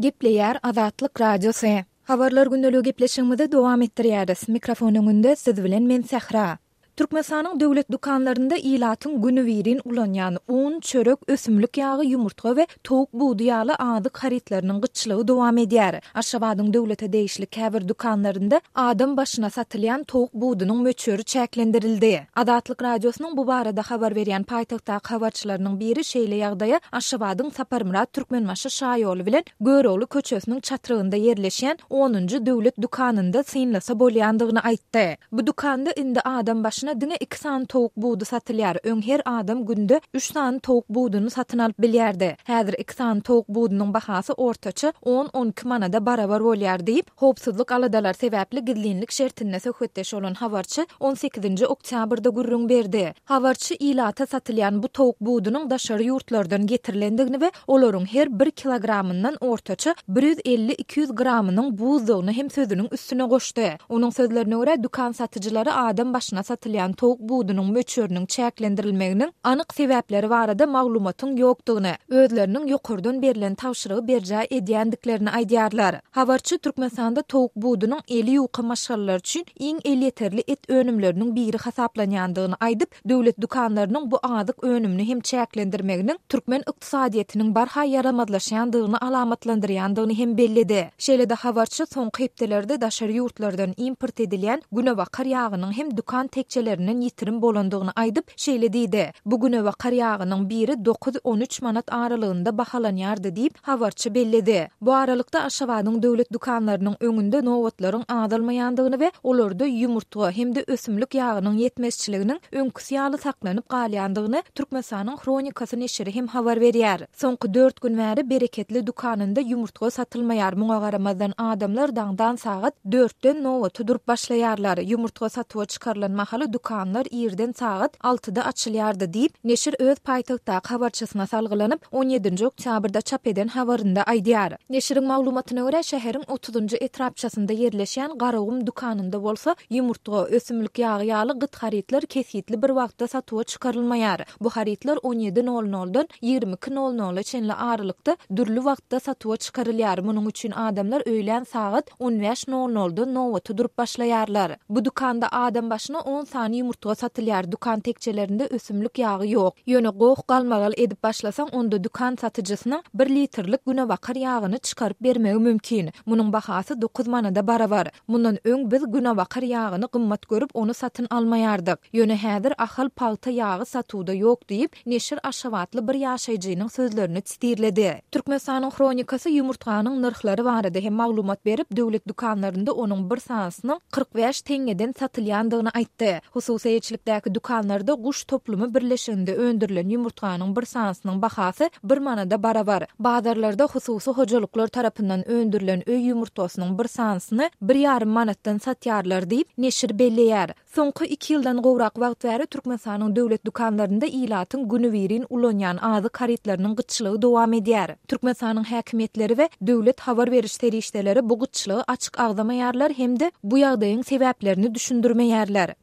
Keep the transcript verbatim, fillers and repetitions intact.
Gepleýär Azatlyk Radiosy. Habarlar gündeligi gepleşigimizi dowam etdirýäris. Mikrofon öňünde siz bilen men Sähra. Türkmenistanyň döwlet dükanlarynda ilatyň günübirin ulanýan un, çörek, ösümlik ýagy, ýumurtga we towuk budy ýaly azyk harytlarynyň gytçylygy dowam edýär. Aşgabadyň döwlete degişli käbir dükanlarynda adam başyna satylýan towuk budunyň möçberi çäklendirildi. Azatlyk Radiosynyň bu barada habar berýän paýtagtdaky habarçylarynyň biri şeýle ýagdaýa Aşgabadyň Saparmyrat Türkmenbaşy şaýoly bilen Görogly köçesiniň çatrygynda ýerleşýän onunjy döwlet dükanynda synlasa bolýandygyny aýtdy. Bu dükanda indi adam başyna diňe iki sany towuk budy satylýar. Öň her adam günde üç sany towuk buduny satyn alyp bilýärdi. Häzir iki sany towuk budunyň bahasy ortaça on-on iki manada barabar bolýar diýip, howpsuzlyk aladalary sebäpli gizlinlik şertinde söhbetdeş bolan habarçy on sekizinji oktýabrda gürrüň berdi. Habarçy ilata satylýan bu towuk budunyň daşary ýurtlardan getirilendigini we olaryň her bir kilogramyndan ortaça bir ýüz elli-iki ýüz gramynyň buzdugyny hem sözüniň üstüne goşdy. Onuň sözlerine görä, dükan satyjylary adam başyna satylýan towuk budunyň möçberiniň çäklendirilmeginiň anyk sebäpleri barada maglumatyň ýokdugyny, özleriniň ýokardan berlen tabşyrygy berjaý edýändiklerini aýdýarlar. Habarçy Türkmenistanda towuk budunyň eli ýuka maşgalalar üçin iň elýeterli et önümleriniň biri hasaplanýandygyny aýdyp, döwlet dükanlarynyň bu azyk önümini hem çäklendirmeginiň türkmen ykdysadyýetiniň barha ýaramazlaşýandygyny alamatlandyrýandygyny hem belledi. Şeýle-de habarçy soňky hepdelerde daşary ýurtlardan import edilýän günebakar ýagynyň hem dükan tekjelerinden ýitirim bolandygyny aýdyp, şeýle diýdi: Bu günebakar ýagynyň biri dokuz-on üç manat aralygynda bahalanýardy diýip, habarçy belledi. Bu aralykda Aşgabadyň döwlet dükanlarynyň öňünde nobatlaryň azalmaýandygyny we olarda ýumurtga hem-de ösümlik ýagynyň ýetmezçiliginiň öňküsi ýaly saklanyp galýandygyny Türkmenistanyň Hronikasy neşiri hem habar berýär. Soňky dört gün bäri Bereketli dükanynda ýumurtga satylmaýar. Muňa garamazdan adamlar daňdan sagat dörtden nobata durup başlaýarlar. Ýumurtga satuwa çykarylan mahaly dükanlar irden sagat altyda açylýardy diýip, neşir öz paýtagtdaky habarçysyna salgylanyp, on ýedinji oktýabrda çap eden habarynda aýdýar. Neşiriň maglumatyna görä, şäheriň otuzynjy etrapçasynda ýerleşýän Garagum dükanynda bolsa ýumurtga, ösümlik ýagy ýaly gyt harytlar kesgitli bir wagtda satuwa çykarylmaýar. Bu harytlar on ýedi nol noldan ýigrimi iki nol nola çenli aralykda dürli wagtda satuwa çykarylýar. Munuň üçin adamlar öýlän sagat on bäş nol noldan nobata durup başlaýarlar. Bu dükanda adam başyna on sany ýumurtga satylýar. Dükan tekjelerinde ösümlik ýagy ýok. Ýöne goh galmagal edip başlasaň, onda dükan satyjysynyň bir litrlik günebakar ýagyny çykaryp bermegi mümkin. Munuň bahasy dokuz manada barabar. Mundan öň biz günebakar ýagyny gymmat görüp, ony satyn almaýardyk. Ýöne häzir Ahal pagta ýagy satuwda ýok diýip, neşir Aşgabatly bir ýaşaýjynyň sözlerini sitirledi. Türkmenistanyň Hronikasy ýumurtganyň nyrhlary barada hem maglumat berip, döwlet dükanlarynda onuň bir sanysynyň kyrk bäş teňňeden satylýandygyny aýtdy. Hususy eýeçilikdäki dükanlarda guş toplumy birleşiginde öndürilen ýumurtganyň bir sanysynyň bahasy bir manada barabar. Bazarlarda hususy hojalyklar tarapyndan öndürilen öý ýumurtgasynyň bir sanysyny bir ýarym manatdan satýarlar diýip, neşir belleýär. Soňky iki ýyldan gowrak wagt bäri Türkmenistanyň döwlet dükanlarynda ilatyň günübirin ulanýan azyk harytlarynyň gytçylygy dowam edýär. Türkmenistanyň häkimiýetleri we döwlet habar beriş serişdeleri bu gytçylygy açyk agzamaýarlar hem-de bu ýagdaýyň sebäplerini düşündirmeýärler.